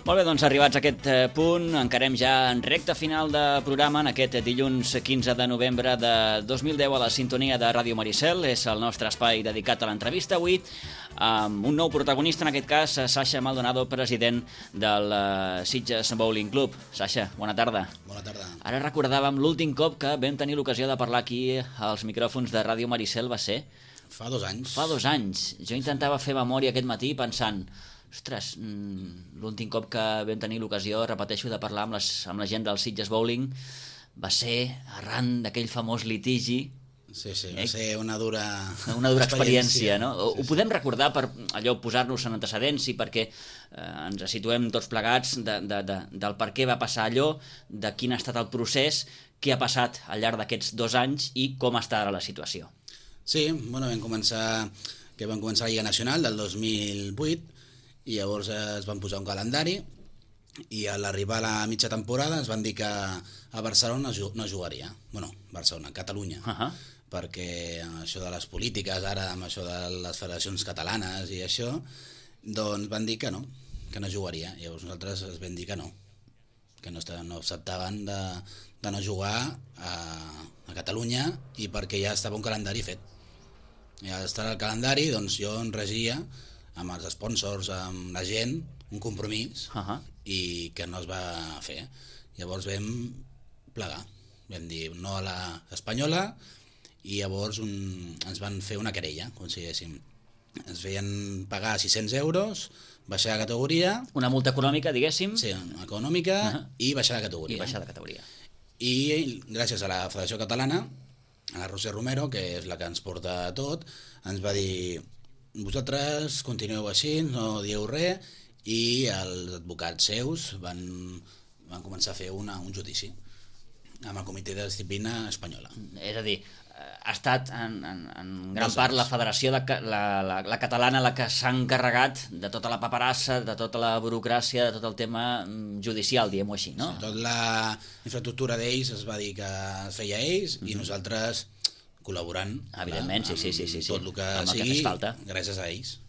Molt bé, doncs arribats a aquest punt, encarem ja en recta final de programa en aquest dilluns 15 de novembre de 2010 a la sintonia de Ràdio Maricel. És el nostre espai dedicat a l'entrevista avui amb un nou protagonista, en aquest cas Sasha Maldonado, president del Sitges Bowling Club. Sasha, bona tarda. Bona tarda. Ara recordàvem l'últim cop que vam tenir l'ocasió de parlar aquí als micròfons de Ràdio Maricel va ser... Fa 2 anys. Fa 2 anys. Jo intentava fer memòria aquest matí pensant... Ostres, l'últim cop que vam tenir l'ocasió, repeteixo, de parlar amb la gent del Sitges Bowling va ser arran d'aquell famós litigi. Sí, va ser una dura experiència, no? Sí, Ho podem recordar per allò posar-nos en antecedents i perquè ens situem tots plegats del per què va passar allò, de quin ha estat el procés, què ha passat al llarg d'aquests 2 anys i com està ara la situació. Sí, bueno, vam començar la Lliga Nacional del 2008 i llavors es van posar un calendari i a l'arribar a la mitja temporada es van dir que a Barcelona no jugaria. Bueno, Barcelona, Catalunya. Perquè això de les polítiques, ara amb això de les federacions catalanes i això, doncs van dir que no jugaria. Llavors nosaltres es vam dir que no acceptaven de no jugar a Catalunya i perquè ja estava un calendari fet. Ja estava el calendari, doncs jo en regia amb els sponsors, amb la gent, un compromís i que no es va fer. Llavors vam plegar, vam dir no a l'Espanyola i llavors ens van fer una querella, com si diguéssim. Ens feien pagar 600 euros, baixar de categoria... Una multa econòmica, diguéssim. Sí, econòmica i baixar de categoria. I gràcies a la Federació Catalana, a la Roser Romero, que és la que ens porta tot, ens va dir... Vosaltres continueu així, no dieu res, i els advocats seus van començar a fer un judici amb el Comitè de Disciplina espanyola. És a dir, ha estat en gran part la federació, la catalana, la que s'ha encarregat de tota la paperassa, de tota la burocràcia, de tot el tema judicial, diguem-ho així, no? Sí, tota la infraestructura d'ells es va dir que es feia ells i nosaltres col·laborant, evidentment, sí. tot el que sigui, gràcies a ells.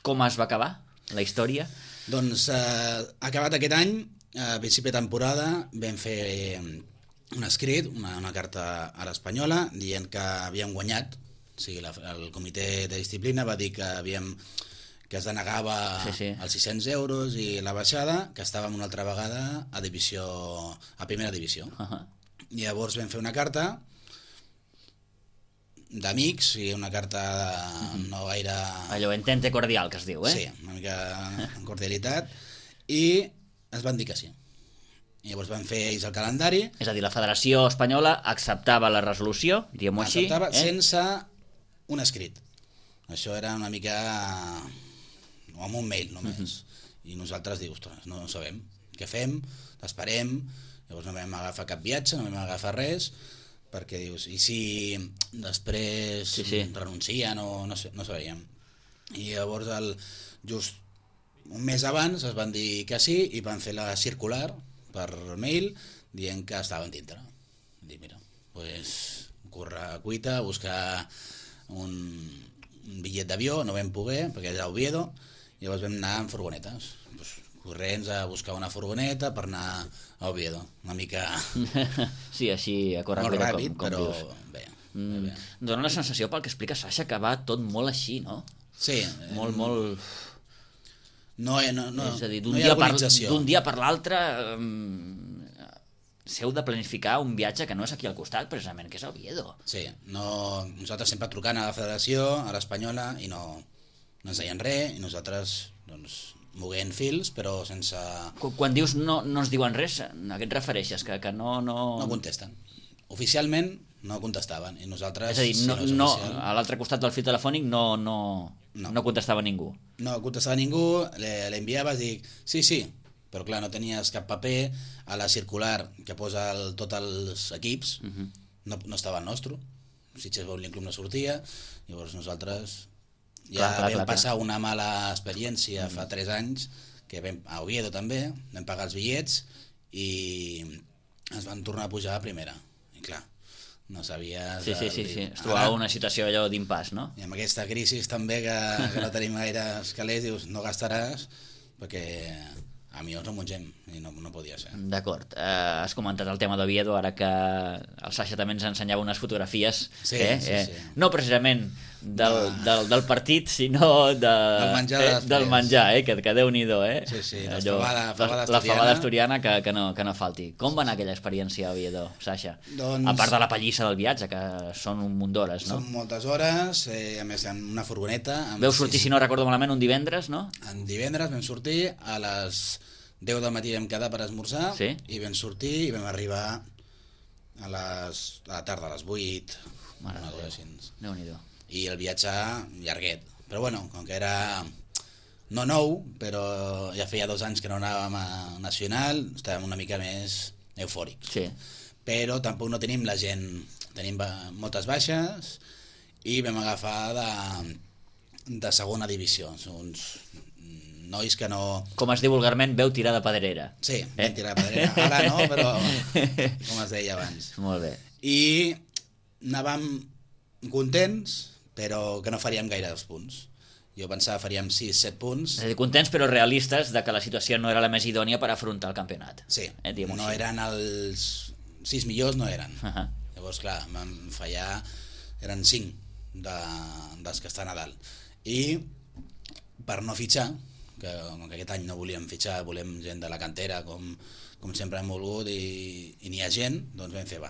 Com es va acabar la història? Doncs acabat aquest any, a principi de temporada, vam fer un escrit, una carta a l'Espanyola, dient que havíem guanyat. O sigui, el comitè de disciplina va dir que es denegava els 600 euros i la baixada, que estàvem una altra vegada a primera divisió. Llavors vam fer una carta d'amics, una carta no gaire... Allò entente cordial, que es diu, Sí, una mica en cordialitat, i ens van dir que sí. Llavors van fer ells el calendari. És a dir, la Federació Espanyola acceptava la resolució, diguem-ho així. Acceptava sense un escrit. Això era una mica... o amb un mail només. I nosaltres dius, ostres, no sabem què fem, esperem... Llavors no vam agafar cap viatge, no vam agafar res, perquè dius, i si després renuncien o no sabíem. I llavors just un mes abans es van dir que sí i van fer la circular per mail dient que estaven dintre. Dic, mira, pues córrer a cuita, buscar un bitllet d'avió, no vam poder perquè era a Oviedo, i llavors vam anar en furgonetes. Corrents a buscar una furgoneta per anar a Oviedo, una mica... Sí, així a córrer molt ràpid, com però dius. Bé. Dóna la sensació, pel que explica Sasha, que va tot molt així, no? Sí. Molt... No, és a dir, no hi ha organització. D'un dia per l'altre s'heu de planificar un viatge que no és aquí al costat, precisament, que és a Oviedo. Sí, nosaltres sempre trucant a la federació, a l'Espanyola, i no ens deien res, i nosaltres, doncs... moguent fils, però sense... Quan dius no ens diuen res, a què et refereixes? Que no... No contesten. Oficialment no contestaven, i nosaltres... És a dir, a l'altre costat del fil telefònic no contestava ningú. No contestava ningú, l'enviaves, dic, sí, però clar, no tenies cap paper, a la circular que posa tots els equips, no estava el nostre, Sitges Bowling Club no sortia, llavors nosaltres... vam passar una mala experiència fa 3 anys, que a Oviedo també, vam pagar els bitllets i ens van tornar a pujar a primera. I clar, no sabies... Sí. Es trobava una situació allò d'impàs, no? I amb aquesta crisi també que no tenim gaire calés, dius, no gastaràs perquè a millors no mengem i no podia ser. D'acord. Has comentat el tema d'Oviedo, ara que el Sasha també ens ensenyava unes fotografies. Sí. No precisament del partit, sinó del menjar, que Déu-n'hi-do. Sí, la fabada asturiana que no falti. Com va anar aquella experiència a Oviedo, Sasha? Doncs... A part de la pallissa del viatge, que són un munt d'hores, no? Són moltes hores, a més en una furgoneta... Veu sortir, si no recordo malament, un divendres, no? En divendres vam sortir a les 10 del matí vam quedar per esmorzar, sí? I vam sortir i vam arribar a la tarda, a les 8, una cosa així. Déu-n'hi-do. I el viatge llarguet. Però bueno, com que era no nou, però ja feia 2 anys que no anàvem a Nacional, estàvem una mica més eufòrics. Sí. Però tampoc no tenim la gent, tenim moltes baixes i vam agafar de segona divisió. Són uns nois que no... Com es diu vulgarment, veu tirar de pedrera. Sí, vam tirar de pedrera. Ara no, però com es deia abans. Molt bé. I anàvem contents, però que no faríem gaire els punts. Jo pensava faríem 6-7 punts. És a dir, contents però realistes de que la situació no era la més idònia per afrontar el campionat. Sí, no eren els 6 millors, no eren. Llavors, clar, vam fallar, eren 5 dels que estan a dalt. I per no fitxar, que aquest any no volíem fitxar, volem gent de la cantera com sempre hem volgut i n'hi ha gent, doncs vam fer,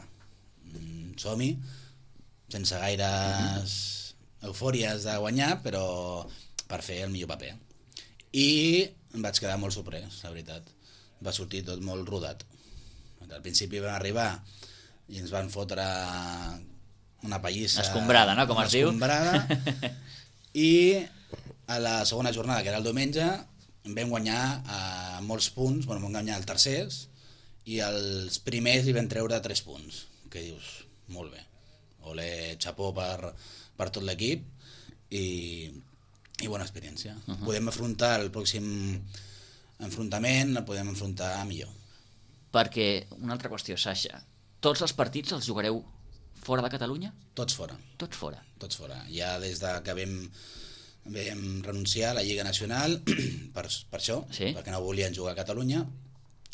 som-hi, sense gaires eufòries de guanyar, però per fer el millor paper. I em vaig quedar molt sorprès, la veritat. Va sortir tot molt rodat. Al principi vam arribar i ens van fotre una pallissa... Escombrada, no?, com es diu. Escombrada. I a la segona jornada, que era el diumenge, vam guanyar molts punts, vam guanyar els tercers, i els primers hi vam treure 3 punts, que dius, molt bé, olé, xapó per tot l'equip, i bona experiència. Podem afrontar el pròxim enfrontament, el podem afrontar millor. Perquè, una altra qüestió, Sasha, tots els partits els jugareu fora de Catalunya? Tots fora. Tots fora. Tots fora. Ja des de que vam renunciar a la Lliga Nacional per això, sí? Perquè no volien jugar a Catalunya,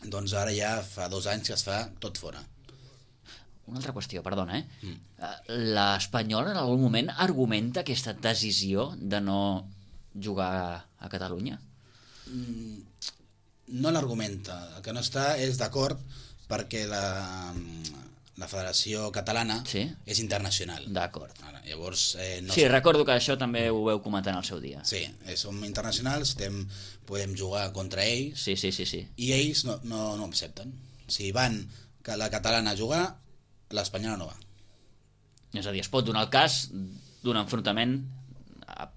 doncs ara ja fa 2 anys que es fa tot fora. Una altra qüestió, perdona, l'Espanyol en algun moment argumenta aquesta decisió de no jugar a Catalunya? No l'argumenta, el que no està és d'acord perquè la Federació Catalana és internacional. D'acord. Llavors, sí, recordo que això també ho veu comentar en el seu dia. Sí, som internacionals, podem jugar contra ells, sí. I ells no accepten. Si van que la catalana a jugar, l'espanyola no va. És a dir, es pot donar el cas d'un enfrontament,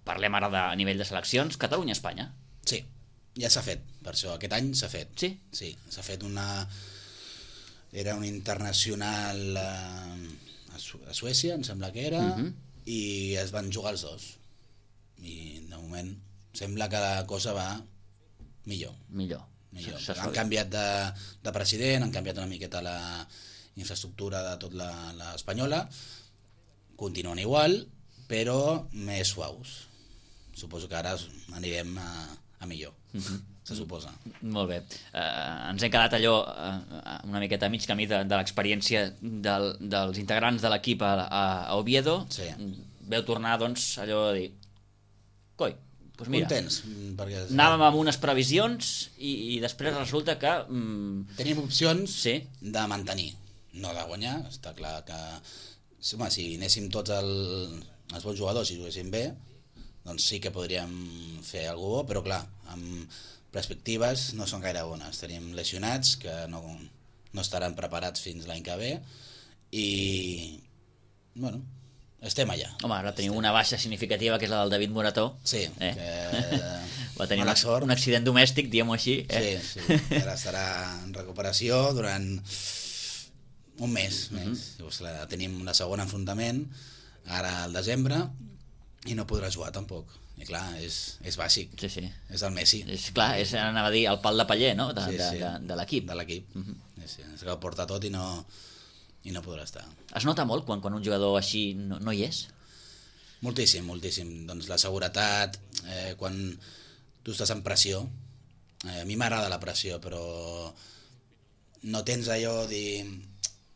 parlem ara a nivell de seleccions, Catalunya-Espanya. Sí, ja s'ha fet, per això aquest any s'ha fet. Sí? Sí, s'ha fet era un internacional a Suècia, em sembla que era, i es van jugar els 2. I de moment sembla que la cosa va millor. Han canviat de president, han canviat una miqueta la infraestructura de tot l'espanyola, continuen igual, però més suaus. Suposo que ara anirem a millor. Se suposa. Molt bé. Ens hem quedat allò una miqueta a mig camí de l'experiència dels integrants de l'equip a Oviedo. Sí. Veu tornar, doncs, allò de dir coi, doncs mira, contents, anàvem amb unes previsions i després resulta que... tenim opcions de mantenir, no de guanyar. Està clar que si anéssim tots els bons jugadors i juguéssim bé, doncs sí que podríem fer alguna cosa, però clar, amb perspectives no són gaire bones. Tenim lesionats que no estaran preparats fins l'any que ve i bueno, estem allà. Home, ara tenim una baixa significativa que és la del David Morató. Sí, va tenir un accident domèstic, diguem-ho així. Sí, ara estarà en recuperació durant un mes més. Tenim la segona enfrontament ara al desembre i no podrà jugar tampoc. I clar, és bàsic. Sí. És el Messi. Clar, anava a dir el pal de paller, no? De l'equip. De l'equip. És que ho porta tot i no i no podrà estar. Es nota molt quan un jugador així no hi és? Moltíssim. Doncs la seguretat, quan tu estàs en pressió, a mi m'agrada la pressió, però no tens allò de dir...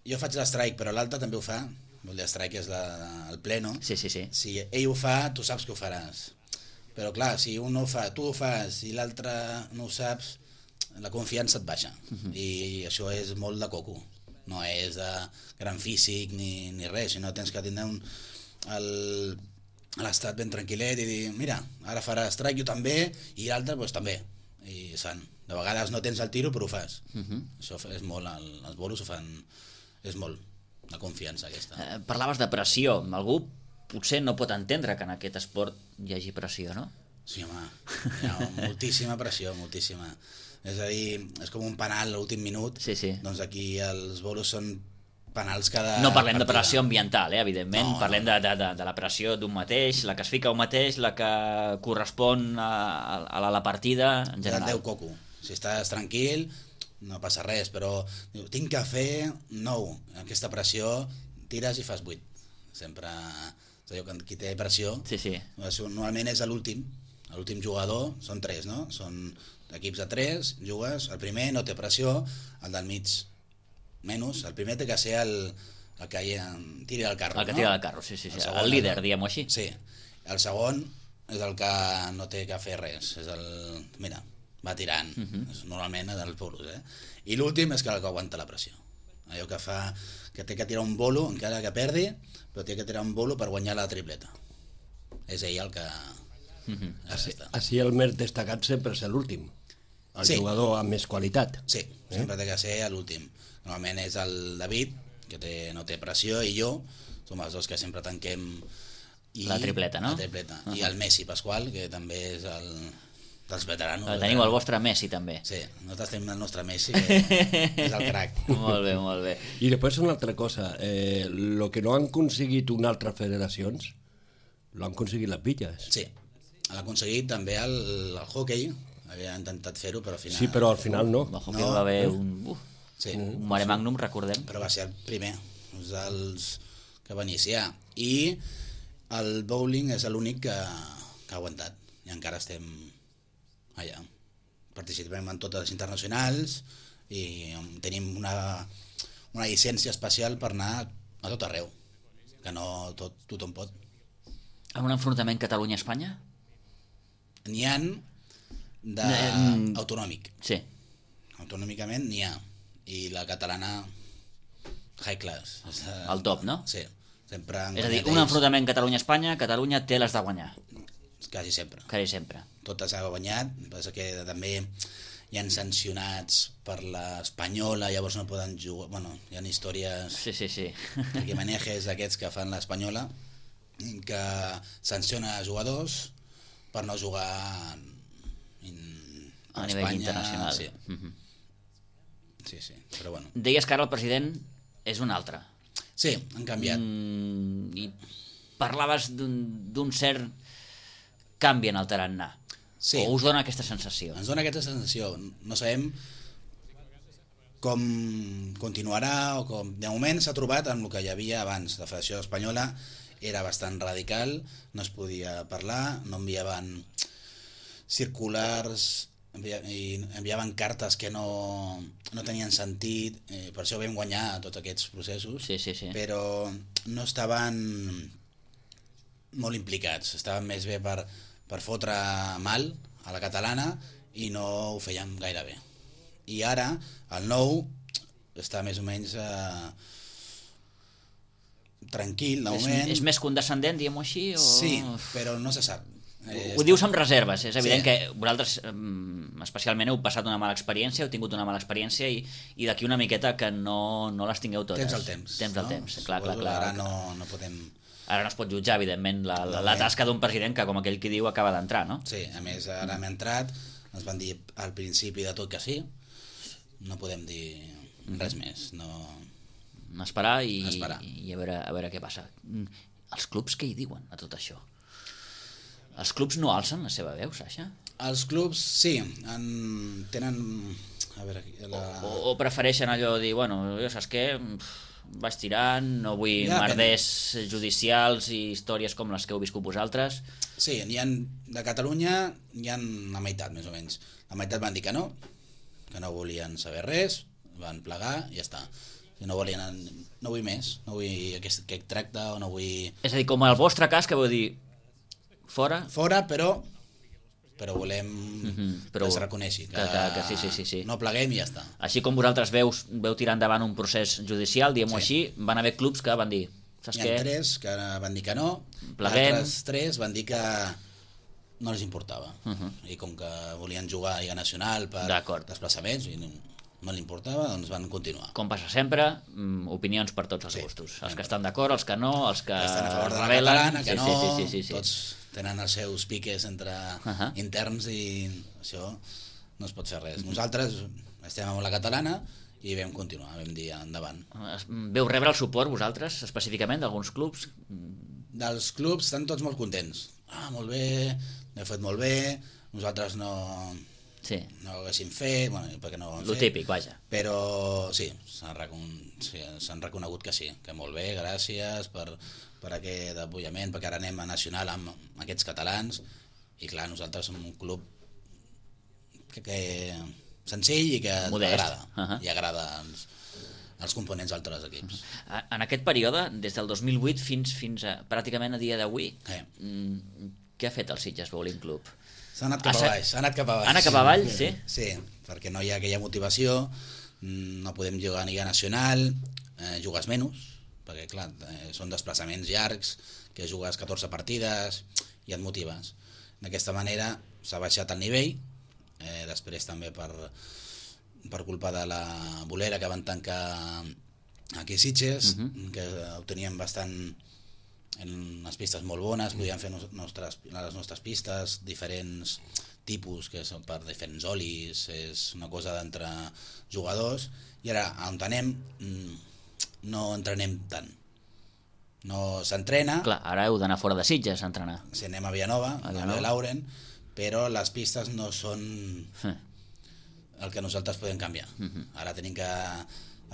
Jo faig l'strike, però l'altre també ho fa. L'strike és el pleno. Sí. Si ell ho fa, tu saps que ho faràs. Però clar, si un no ho fa, tu ho fas i l'altre no ho saps, la confiança et baixa. I això és molt de coco. No és de gran físic ni res, sinó tens que tindre l'estat ben tranquil·let i dir, mira, ara farà strike, jo també, i l'altre doncs, també. I sant. De vegades no tens el tiro, però ho fas. Això és molt, els bolos ho fan, és molt, la confiança aquesta. Parlaves de pressió. Algú potser no pot entendre que en aquest esport hi hagi pressió, no? Sí, home, hi ha moltíssima pressió, moltíssima. És a dir, és com un penal a l'últim minut. Sí. Doncs aquí els bolos són penals cada No parlem de partida. pressió ambiental, evidentment. No, parlem de la pressió d'un mateix, la que es fica un mateix, la que correspon a la partida en general. Deu coco. Si estàs tranquil, no passa res, però tinc que fer 9. Aquesta pressió, tires i fas 8. Sempre, és allò que qui té pressió, Sí. normalment és l'últim jugador, són 3, no? Són equips de 3, jugues, el primer no té pressió, el del mig menys, el primer té que ser el que tiri el carro, El que no? tira el carro, sí. El líder, diguem-ho així. Sí, el segon és el que no té que fer res, és mira, va tirant, és normalment dels bolos, I l'últim és el que aguanta la pressió, allò que fa que té que tirar un bolo, encara que perdi, però té que tirar un bolo per guanyar la tripleta. És ell el que... Així el més destacat sempre és l'últim, el jugador amb més qualitat. Sí, sempre té que ser l'últim. Normalment és el David, que no té pressió, i jo, som els dos que sempre tanquem la tripleta, no? La tripleta. I el Messi Pasqual, que també és dels veteranos. Teniu el vostre Messi, també. Sí, nosaltres tenim el nostre Messi, que és el crac. Molt bé. I després una altra cosa, lo que no han aconseguit unes altres federacions, lo han aconseguit les Villes. Sí, l'ha aconseguit també el hockey, havia intentat fer-ho, però al final... Sí, però al final no. El hockey va haver un mare magnum, recordem. Però va ser el primer, dels que va iniciar. I el bowling és l'únic que ha aguantat, i encara estem allà. Participem en totes les internacionals i tenim una llicència especial per anar a tot arreu, que no tothom pot. En un enfrontament Catalunya-Espanya? N'hi ha d'autonòmic. Sí. Autonòmicament n'hi ha. I la catalana high class. El top, no? Sí. Sempre És a dir, un enfrontament Catalunya-Espanya, Catalunya té les de guanyar. Quasi sempre. Totes ha guanyat, passa que també hi han sancionats per l'Espanyola, llavors no poden jugar... Bueno, hi ha històries... Sí. Perquè manejes d'aquests que fan l'Espanyola, que sanciona jugadors per no jugar a nivell internacional. Sí. Sí, però bueno. Deies que ara el president és un altre. Sí, han canviat. I parlaves d'un cert canvi en el tarannà. Sí. O us dona aquesta sensació? Ens dona aquesta sensació. No sabem com continuarà o com... De moment s'ha trobat amb el que hi havia abans. La Federació Espanyola era bastant radical, no es podia parlar, no enviaven circulars, enviaven cartes que no tenien sentit, per això vam guanyar tots aquests processos, sí. però no estaven molt implicats, estaven més bé per fotre mal a la catalana i no ho feien gaire bé. I ara el nou està més o menys tranquil, de moment. És més condescendent, diguem-ho així? O... Sí, però no se sap. Ho dius amb reserves, és evident que vosaltres especialment heu passat una mala experiència, heu tingut una mala experiència i d'aquí una miqueta que no les tingueu totes. Temps al temps. Clar. Ara no podem... Ara no es pot jutjar, evidentment, la tasca d'un president que, com aquell qui diu, acaba d'entrar, no? Sí, a més, ara hem entrat, ens van dir al principi de tot que sí, no podem dir res més, Esperar i a veure què passa. Els clubs què hi diuen a tot això? Els clubs no alcen la seva veu, Sasha? Els clubs sí, tenen... A veure, o prefereixen allò de dir, bueno, ja saps què, vaig tirant, no vull merders judicials i històries com les que heu viscut vosaltres. Sí, de Catalunya hi ha la meitat, més o menys. La meitat van dir que no volien saber res, van plegar i ja està. No volien, no vull més, no vull aquest tracte o no vull... És a dir, com el vostre cas, que vau dir fora... Fora, però volem que es reconeixi que sí. No pleguem i ja està. Així com vosaltres veu tirar endavant un procés judicial, diguem-ho així, van haver clubs que van dir, saps què? Hi ha 3 que van dir que no, pleguem. Altres 3 van dir que no els importava, i com que volien jugar a Lliga Nacional per desplaçaments i no li importava, doncs van continuar. Com passa sempre, opinions per tots els gustos, els que estan d'acord, els que no, els que estan a favor de la catalana, que no, tots tenen els seus piques entre interns i això no es pot fer res. Nosaltres estem amb la catalana i vam continuar, vam dir endavant. Veu rebre el suport vosaltres, específicament, d'alguns clubs? Dels clubs estan tots molt contents. Molt bé, l'he fet molt bé, nosaltres no ho haguéssim fet, perquè no ho hem fet. Lo típic, vaja. Però sí, s'han reconegut que sí, que molt bé, gràcies per aquest apoyament, perquè ara anem a Nacional amb aquests catalans, i clar, nosaltres som un club que senzill i que agrada, i agrada als components d'altres equips. En aquest període, des del 2008 fins a pràcticament a dia d'avui, què ha fet el Sitges Bowling Club? S'ha anat cap avall. Ha anat cap avall, sí? Sí, perquè no hi ha aquella motivació, no podem jugar a Lliga Nacional, jugues menys, perquè clar, són desplaçaments llargs, que jugues 14 partides i et motives. D'aquesta manera s'ha baixat el nivell, després també per culpa de la bolera que van tancar aquí a Sitges, que ho teníem bastant en unes pistes molt bones, podíem fer les nostres pistes, diferents tipus, que són per diferents olis, és una cosa d'entre jugadors, i ara on anem no entrenem tant. No s'entrena. Clar, ara heu d'anar fora de Sitges a entrenar. Si anem a Villanova, a Lauren, però les pistes no són el que nosaltres podem canviar. Ara tenim que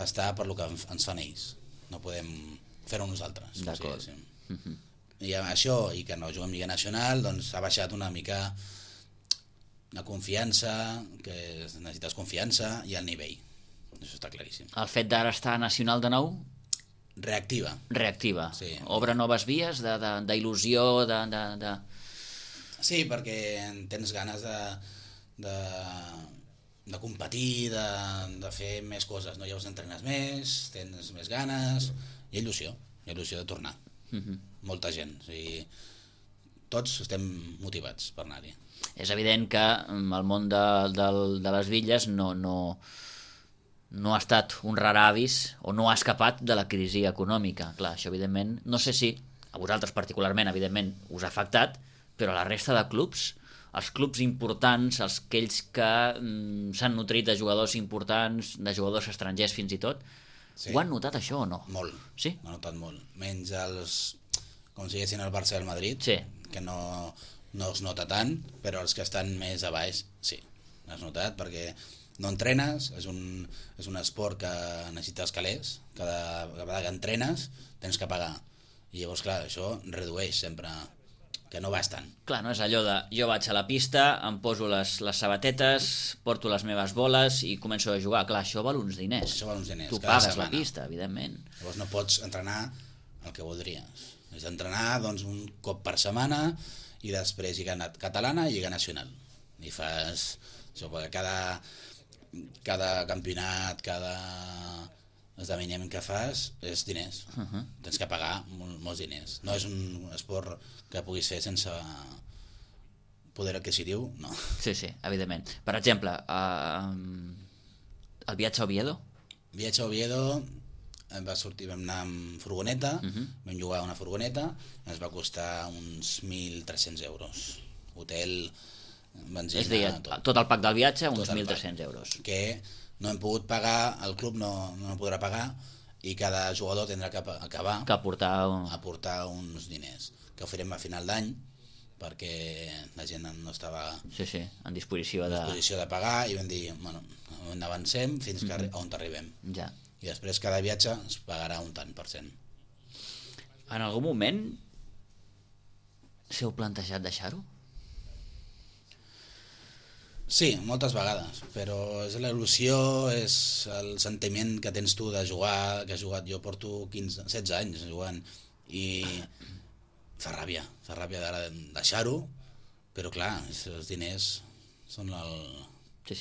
estar per lo que ens fan ells. No podem fer-ho nosaltres. D'acord. I això, i que no juguem Lliga Nacional, doncs ha baixat una mica la confiança, que necessites confiança, i el nivell. Això està claríssim. El fet d'ara estar nacional de nou? Reactiva. Sí. Obre noves vies d'il·lusió, Sí, perquè tens ganes de competir, de fer més coses. No? Llavors entrenes més, tens més ganes, hi ha il·lusió de tornar. Molta gent. O sigui, tots estem motivats per anar-hi. És evident que el món de les Villes no ha estat un rar avis o no ha escapat de la crisi econòmica. Clar, això evidentment, no sé si a vosaltres particularment, evidentment, us ha afectat, però a la resta de clubs, els clubs importants, aquells que s'han nutrit de jugadors importants, de jugadors estrangers fins i tot, ho han notat això o no? Molt, sí? Ho han notat molt. Menys els, com si diguessin el Barça i el Madrid, que no es nota tant, però els que estan més a baix, sí, has notat, perquè no entrenes, és un esport que necessites calés, cada vegada que entrenes tens que pagar, i llavors clar, això redueix sempre, que no vas tant. Clar, no és allò de jo vaig a la pista, em poso les sabatetes, porto les meves boles i començo a jugar. Clar, això val uns diners. Això val uns diners, tu pagues la pista, evidentment. Llavors no pots entrenar el que voldries. És entrenar doncs, un cop per setmana i després Lliga Catalana i Lliga Nacional. I fas això, perquè cada campionat, cada esdeveniment que fas és diners. Tens que pagar molts diners. No és un esport que puguis fer sense poder adquisitiu, no. Sí, evidentment. Per exemple, el viatge a Oviedo? Viatge a Oviedo vam anar amb furgoneta, vam llogar una furgoneta, ens va costar uns 1.300 euros. Hotel, benzina... És a dir, tot el pack del viatge, uns 1.300 euros. Que no hem pogut pagar, el club no podrà pagar, i cada jugador tindrà que acabar que aportar uns diners, que ho farem a final d'any, perquè la gent no estava en disposició de pagar, i vam dir, bueno, avancem fins on arribem. Ja. i després cada viatge es pagarà un tant per cent. En algun moment s'heu plantejat deixar-ho? Sí, moltes vegades, però és la il·lusió, és el sentiment que tens tu de jugar, que has jugat, jo porto 16 anys jugant, i fa ràbia de deixar-ho, però clar, els diners són el que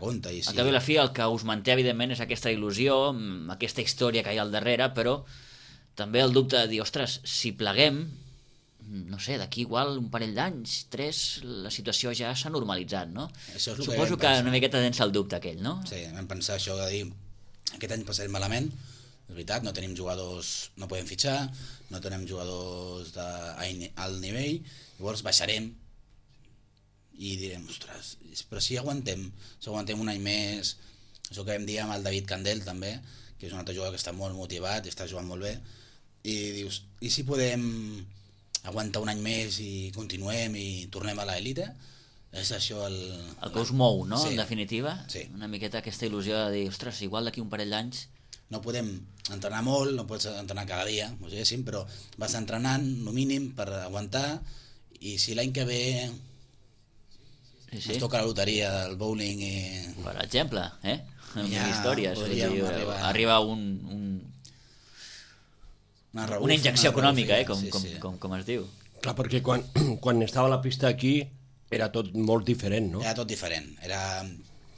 compta. I Al cap i a la fi el que us manté evidentment és aquesta il·lusió, aquesta història que hi ha al darrere, però també el dubte de dir, ostres, si pleguem, no sé, d'aquí igual un parell d'anys, 3, la situació ja s'ha normalitzat, no? Suposo que una miqueta tens el dubte aquell, no? Sí, vam pensar això de dir, aquest any passarem malament, és veritat, no tenim jugadors, no podem fitxar, no tenim jugadors d'alt nivell, llavors baixarem i direm, ostres, però si aguantem un any més, això que vam dir amb el David Candel també, que és un altre jugador que està molt motivat i està jugant molt bé, i dius, i si podem aguantar un any més i continuem i tornem a l'elite? És això el que us mou, no? Sí. En definitiva, sí. Una miqueta aquesta il·lusió de dir, ostres, igual d'aquí un parell d'anys... No podem entrenar molt, no pots entrenar cada dia, però vas entrenant, no mínim, per aguantar, i si l'any que ve ens toca la loteria del bowling i... Per exemple, ja històries, arriba una injecció econòmica, com es diu. Clar, perquè quan estava la pista aquí era tot molt diferent, no? Era tot diferent.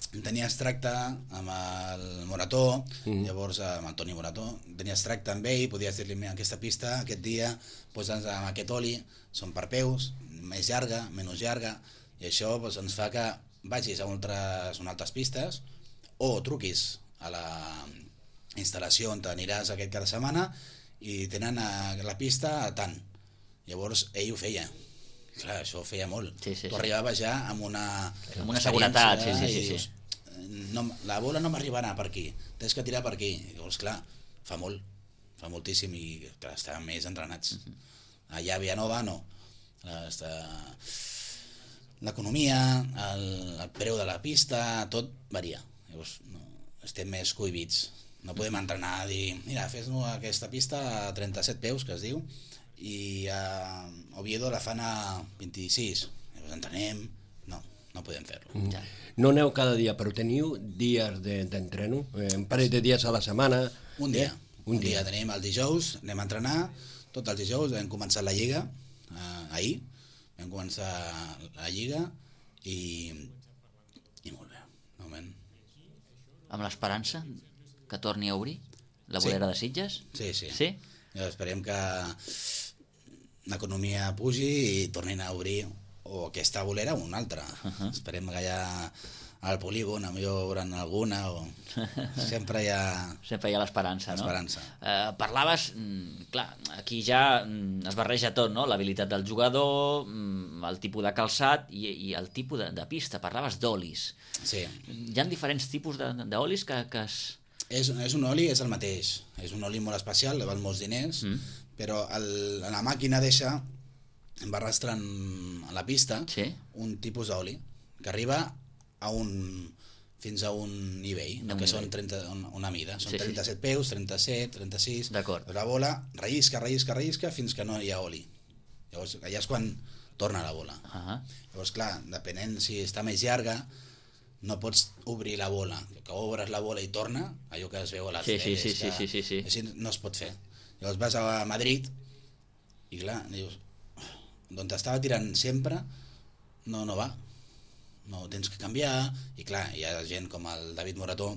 Tenies tracte amb el Morató, llavors amb el Toni Morató, tenies tracte amb ell, podies dir-li, aquesta pista, aquest dia, posa'ns amb aquest oli, són per peus, més llarga, menys llarga, i això ens fa que vagis a altres pistes o truquis a la instal·lació on t'aniràs aquest cada setmana i tenen la pista a tant. Llavors ell ho feia. Clar, això ho feia molt. Sí. Tu arribaves ja amb una seguretat, i dius, la bola no m'arribarà per aquí, tens que tirar per aquí. Llavors, clar, fa moltíssim i clar, estàvem més entrenats. Allà a Vilanova no. L'economia, el preu de la pista, tot varia. Llavors, estem més cohibits. No podem entrenar a dir, mira, fes-nos aquesta pista a 37 peus, que es diu, i a Oviedo la fan a 26. Llavors entrenem, no podem fer-lo. No aneu cada dia, però teniu dies d'entreno? Un parell de dies a la setmana? Un dia. Un dia tenim el dijous, anem a entrenar, tots els dijous vam començar la Lliga, ahir, vam començar la Lliga i molt bé, de moment. Amb l'esperança que torni a obrir la bolera de Sitges? Sí? Esperem que l'economia pugi i tornin a obrir o aquesta bolera o una altra. Esperem que allà al polígon a millor veuran alguna o... sempre hi ha l'esperança, no? Parlaves, clar, aquí ja es barreja tot, no? L'habilitat del jugador, el tipus de calçat i el tipus de pista. Parlaves d'olis. Sí. Hi ha diferents tipus d'olis que es... És un oli, és el mateix. És un oli molt especial, val molts diners, però la màquina deixa, va arrastrant a la pista un tipus d'oli que arriba fins a un nivell, que són una mida. Són 37 peus, 37, 36... D'acord. La bola rellisca fins que no hi ha oli. Llavors, allà és quan torna la bola. Llavors, clar, depenent si està més llarga, no pots obrir la bola, que obres la bola i torna, allò que es veu a les teles, sí. Així no es pot fer. Llavors vas a Madrid i clar, dius, d'on t'estava tirant sempre no va, no tens que canviar, i clar, hi ha gent com el David Morató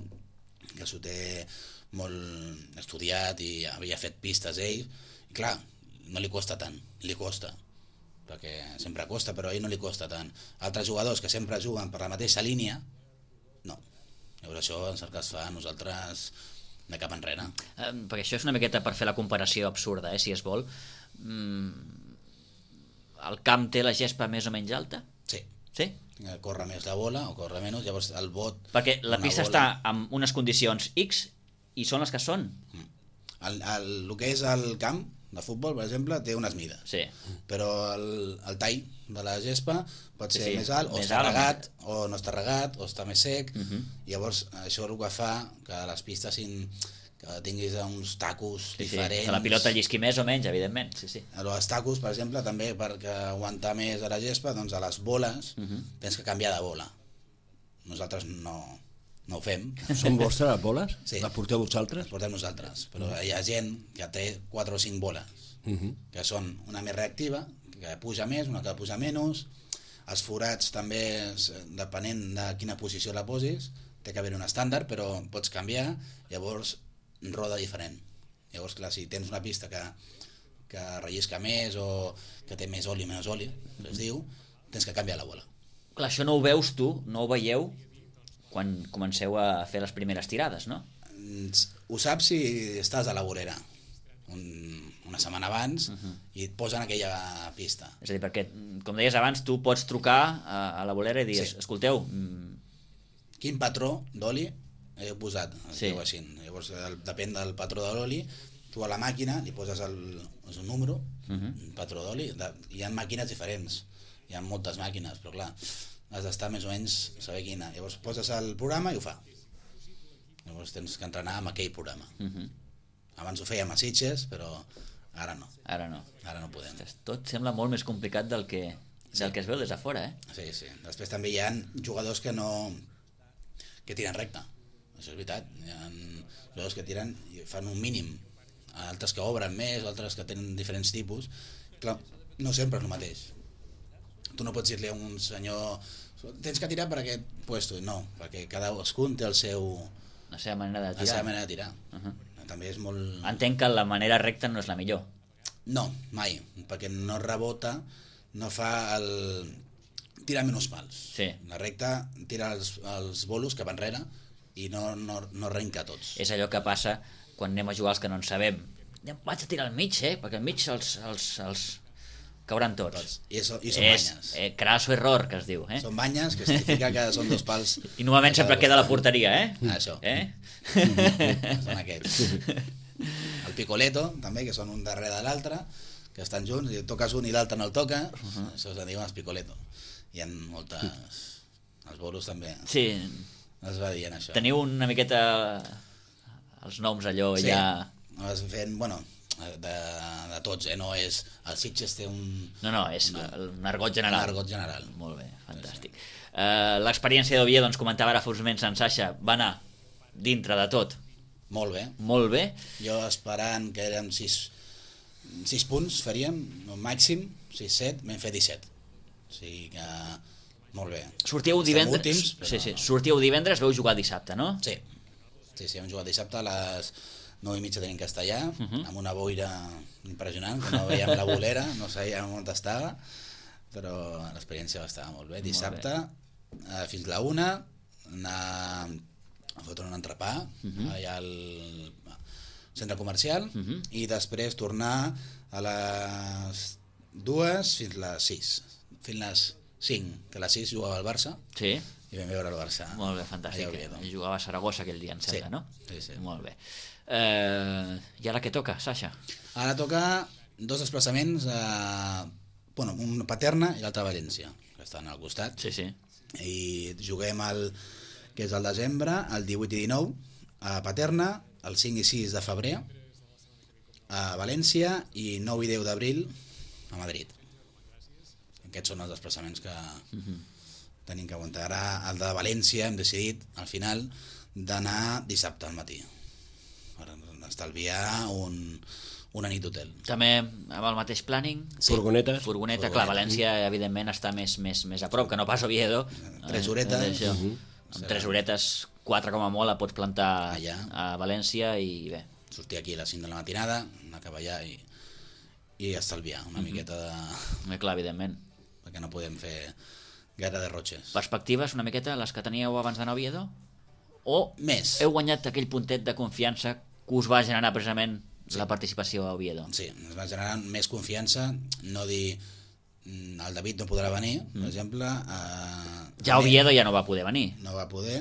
que s'ho té molt estudiat i havia fet pistes ell, i clar, no li costa tant, li costa, perquè sempre costa, però a ell no li costa tant. Altres jugadors que sempre juguen per la mateixa línia, no. Llavors això és el que es fa a nosaltres de cap enrere. Perquè això és una miqueta per fer la comparació absurda, si es vol. El camp té la gespa més o menys alta? Sí. Sí? Corre més la bola o corre menys, llavors el bot... Perquè la pista està en unes condicions X i són les que són. El que és el camp de futbol, per exemple, té unes mides. Sí. Però el tall de la gespa pot ser més alt, o està regat, o no està regat, o està més sec. Llavors, això és el que fa que les pistes que tinguis uns tacos Sí, diferents. que la pilota llisqui més o menys, evidentment. Sí. Els tacos, per exemple, també perquè aguantar més a la gespa, doncs a les boles tens que canviar de bola. Nosaltres no ho fem. Són vostres les boles? Sí. Les porteu vosaltres? Les portem nosaltres, però hi ha gent que té 4 o 5 boles, que són una més reactiva, que puja més, una que puja menys. Els forats també, depenent de quina posició la posis, té que haver un estàndard, però pots canviar, llavors roda diferent. Llavors, clar, si tens una pista que rellisca més o que té més oli o menys oli, que es diu, tens que canviar la bola. Clar, això no ho veus tu, no ho veieu quan comenceu a fer les primeres tirades, no? Ho saps si estàs a la vorera una setmana abans i et posen aquella pista. És a dir, perquè, com deies abans, tu pots trucar a la bolera i dir, Sí. escolteu, Quin patró d'oli he posat? Sí. Així. Llavors, depèn del patró de l'oli, tu a la màquina li poses el número, un patró d'oli, hi ha màquines diferents, hi ha moltes màquines, però clar, has d'estar més o menys saber quina. Llavors poses el programa i ho fa. Llavors tens que entrenar amb aquell programa. Abans ho fèiem a Sitges, però ara no. ara no. Ara no podem. Tot sembla molt més complicat del que es veu des de fora, eh? Sí, sí. Després també hi ha jugadors que tiren recte. Això és veritat. Hi ha jugadors que tiren i fan un mínim. Altres que obren més, altres que tenen diferents tipus. Clar, no sempre és el mateix. Tu no pots dir-li a un senyor tens que tirar per aquest puesto. No, perquè cadascun té La seva manera de la tirar. seva manera de tirar. També és molt... Entenc que la manera recta no és la millor. No, mai, perquè no rebota, no fa el... tira menys pals. Sí. La recta tira els bolos cap enrere i no renca tots. És allò que passa quan anem a jugar els que no en sabem. Vaig a tirar al mig, perquè al mig els cauran tots. I són banyes. Crasso error, que es diu. Són banyes, que significa que són 2 pals. I normalment sempre queda a la porteria, Això. Són aquests. El picoleto, també, que són un darrere de l'altre, que estan junts, i toques un i l'altre no el toca, això es diuen els picoleto. Hi ha moltes... Els bolos també Sí. es va dient això. Teniu una miqueta els noms allò Sí, ja... es fent, bueno, de tots, no és... El Sitges té un... No, és un argot general. Un argot general. Molt bé, fantàstic. L'experiència d'Oviedo, ens comentava ara fa uns moments en Sasha, va anar dintre de tot Molt bé. molt bé. Jo esperant que érem 6 punts faríem, no, màxim 6-7, vam fer 17. O sigui que molt bé. Sortíeu Estem divendres, últims, però... sí, sortíeu divendres, veu jugar dissabte, no? Sí, hem jugat dissabte a les 9:30 tenim castellà, amb una boira impressionant, que no veiem la bolera, no sabíem on estava, però l'experiència va estar molt bé. Dissabte, fins la 1, anar a fotre un entrepà allà al centre comercial i després tornar a les 2 fins les 6, fins les 5, que a les 6 jugava el Barça Sí. i vam veure el Barça. Molt bé, fantàstic. allà a Oviedo. Jugava a Saragossa aquell dia, em sembla, no? Sí. Molt bé. I ara què toca, Sasha? Ara toca 2 desplaçaments un Paterna i l'altre a València, que estan al costat. Sí. I juguem que és el desembre, el 18 i 19 a Paterna, el 5 i 6 de febrer a València i 9 i 10 d'abril a Madrid. Aquests són els desplaçaments que tenim que aguantar. Ara el de València hem decidit al final d'anar dissabte al matí per estalviar una nit d'hotel. També amb el mateix planning? Sí. Furgoneta. Furgoneta, clar, València evidentment està més a prop, que no pas Oviedo. 3 horetes. Això. Amb 3 horetes, 4 com a molt, la pots plantar allà a València i bé. Sortir aquí a les 5 de la matinada, anar cap allà i estalviar una miqueta de... Clar, evidentment. perquè no podem fer gaire derrotxes. Perspectives una miqueta, les que teníeu abans d'anar a Oviedo? O Més. heu guanyat aquell puntet de confiança que us va generar precisament la participació a Oviedo? Sí, ens va generar més confiança, no dir el David no podrà venir, per exemple. Ja Oviedo ja no va poder venir. No va poder,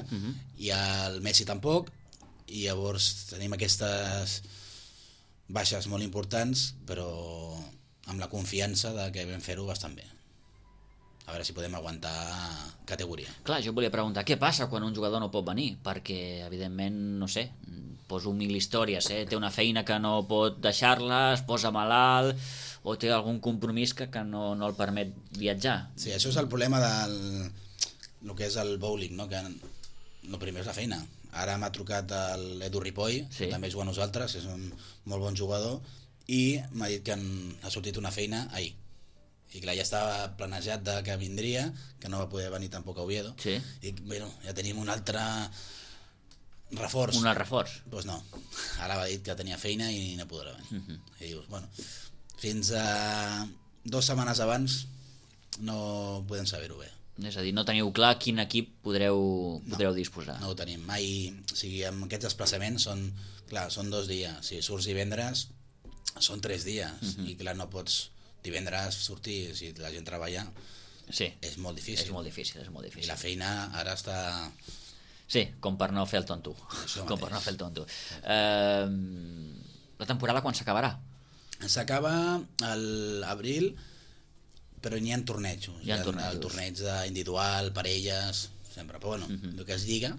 i el Messi tampoc, i llavors tenim aquestes baixes molt importants, però amb la confiança de que vam fer-ho bastant bé. A veure si podem aguantar categoria. Clar, jo volia preguntar què passa quan un jugador no pot venir, perquè evidentment, no sé, poso mil històries, té una feina que no pot deixar-la, es posa malalt, o té algun compromís que no el permet viatjar. Sí, això és el problema del que és el bowling, no? Que el primer és la feina. Ara m'ha trucat l'Edu Ripoll, que també juga a nosaltres, és un molt bon jugador, i m'ha dit que ha sortit una feina ahir. I clar, ja estava planejat que vindria, que no va poder venir tampoc a Oviedo. Sí. I bueno, ja tenim un altre reforç. Un altre reforç? Doncs no, ara va dir que tenia feina i no podrà venir. I dius, bueno, fins a 2 setmanes abans no podem saber-ho bé. És a dir, no teniu clar quin equip podreu disposar. No ho tenim mai. O sigui, amb aquests desplaçaments són 2 dies. Si surts divendres, són 3 dies. I clar, no pots divendres sortir, si la gent treballa, és molt difícil. És molt difícil. I la feina ara està... Sí, com per no fer el tonto. La temporada quan s'acabarà? S'acaba a l'abril, però n'hi ha tornejos. Hi ha el torneig individual, parelles, sempre. Però bueno, el que es lliga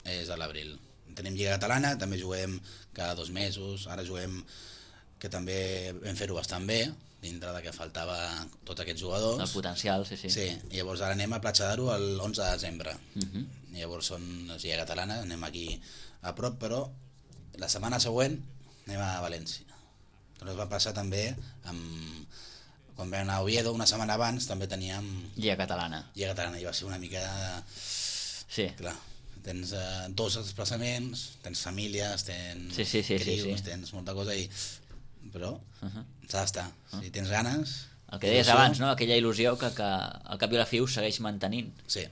és a l'abril. Tenim Lliga Catalana, també juguem cada 2 mesos, ara juguem, que també vam fer-ho bastant bé, dintre de que faltava tots aquests jugadors. El potencial, sí. Sí, i llavors ara anem a Platja d'Aro l'11 de desembre. I llavors són Lliga Catalana, anem aquí a prop, però la setmana següent anem a València. Ens va passar també quan vam anar a Oviedo una setmana abans també teníem Lliga Catalana i va ser una mica clar, tens 2 desplaçaments, tens famílies, tens crius, tens molta cosa però s'ha d'estar, si tens ganes, el que deies abans, no? Aquella il·lusió que al cap i a la fi ho segueix mantenint. Sí,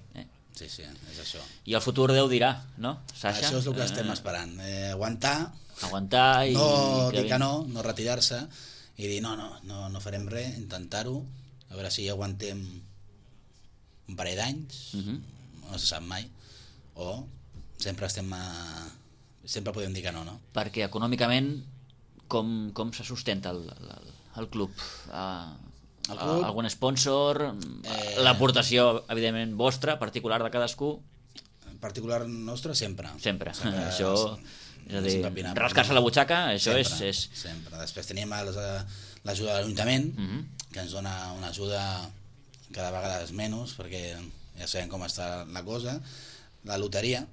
és això. I el futur Déu dirà, no, Sasha? Això és el que estem esperant, aguantar i... no dir que no retirar-se i dir no farem res, intentar-ho, a veure si aguantem un parell d'anys, no se sap mai, o sempre podem dir que no. Perquè econòmicament com se sustenta el club? Algun sponsor? L'aportació, evidentment, vostra, particular de cadascú? Particular nostra, sempre. Això... És a dir, rascar-se la butxaca, això és... Sempre. Després tenim l'ajuda de l'Ajuntament, que ens dona una ajuda cada vegada menys, perquè ja sabem com està la cosa. La loteria,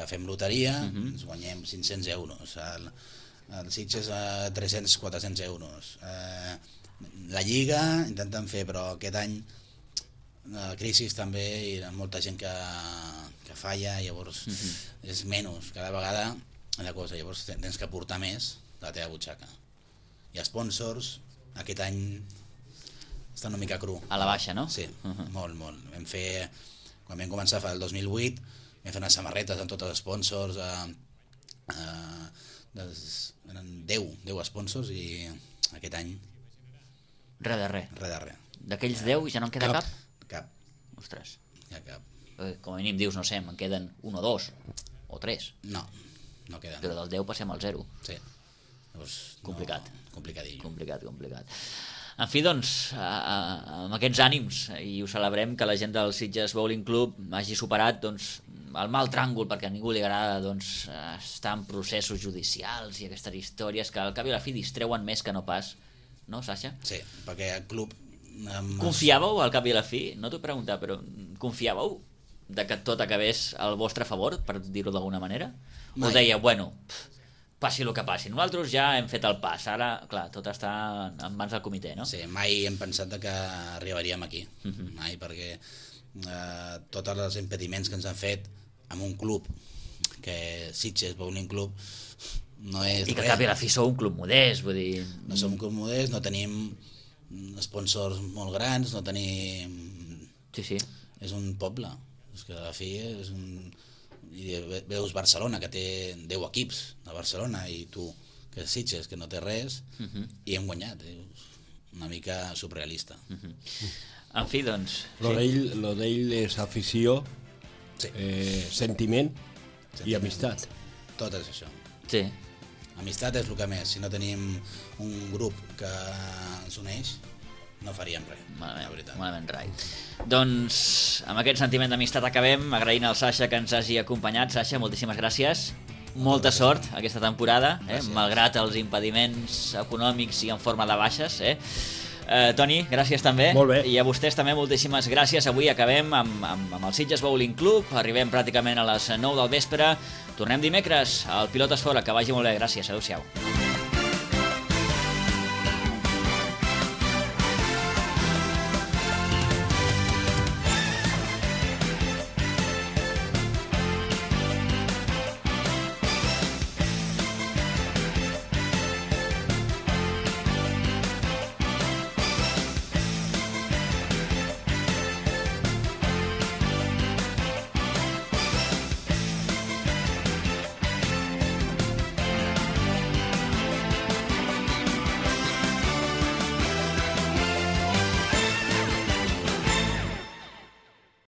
fem loteria, ens guanyem 500 euros. El Sitges 300-400 euros. La Lliga intenten fer, però aquest any la crisi també hi ha molta gent que falla, llavors és menys, cada vegada la cosa, llavors tens que aportar més de la teva butxaca. I sponsors, aquest any està una mica cru. A la baixa, no? Sí, molt. Quan vam començar el 2008, vam fer unes samarretes amb tots els sponsors, eren 10 sponsors, i aquest any res de res. D'aquells 10 ja no en queda cap? Cap. Ostres. Ja cap. Com a mínim dius, no sé, me'n queden 1 o 2 o 3. No queden. Però del 10 passem al 0. Sí. Llavors, complicat. Complicadillo. Complicat. En fi, doncs, amb aquests ànims, i ho celebrem, que la gent del Sitges Bowling Club hagi superat el mal tràngol, perquè a ningú li agrada estar en processos judicials i aquestes històries que al cap i a la fi distreuen més que no pas, no, Sasha? Sí, perquè el club... Confiàveu al cap i a la fi? No t'ho he preguntat, però confiàveu de que tot acabés al vostre favor, per dir-ho d'alguna manera? O deia, bueno, passi el que passi, nosaltres ja hem fet el pas, ara, clar, tot està en mans del comitè, no? Sí, mai hem pensat que arribaríem aquí, mai, perquè tots els impediments que ens han fet amb un club, que Sitges Bowling Club, no és res. I que al cap i a la fi sou un club modest, vull dir... No som un club modest, no tenim sponsors molt grans, no tenim... Sí. És un poble, és que a la fi és un... I veus Barcelona, que té 10 equips a Barcelona, i tu, que és Sitges, que no té res, i hem guanyat. Una mica surrealista. En fi, doncs... Lo d'ell és afició, sentiment i amistat. Tot és això. Sí. Amistat és el que més. Si no tenim un grup que ens uneix, no faríem res, la veritat. Malament rai. Doncs amb aquest sentiment d'amistat acabem, agraint al Sasha que ens hagi acompanyat. Sasha, moltíssimes gràcies. Molta sort aquesta temporada, malgrat els impediments econòmics i en forma de baixes. Toni, gràcies també. Molt bé. I a vostès també moltíssimes gràcies. Avui acabem amb el Sitges Bowling Club. Arribem pràcticament a les 9 del vespre. Tornem dimecres al Pilotes Fora. Que vagi molt bé. Gràcies. Adéu-siau.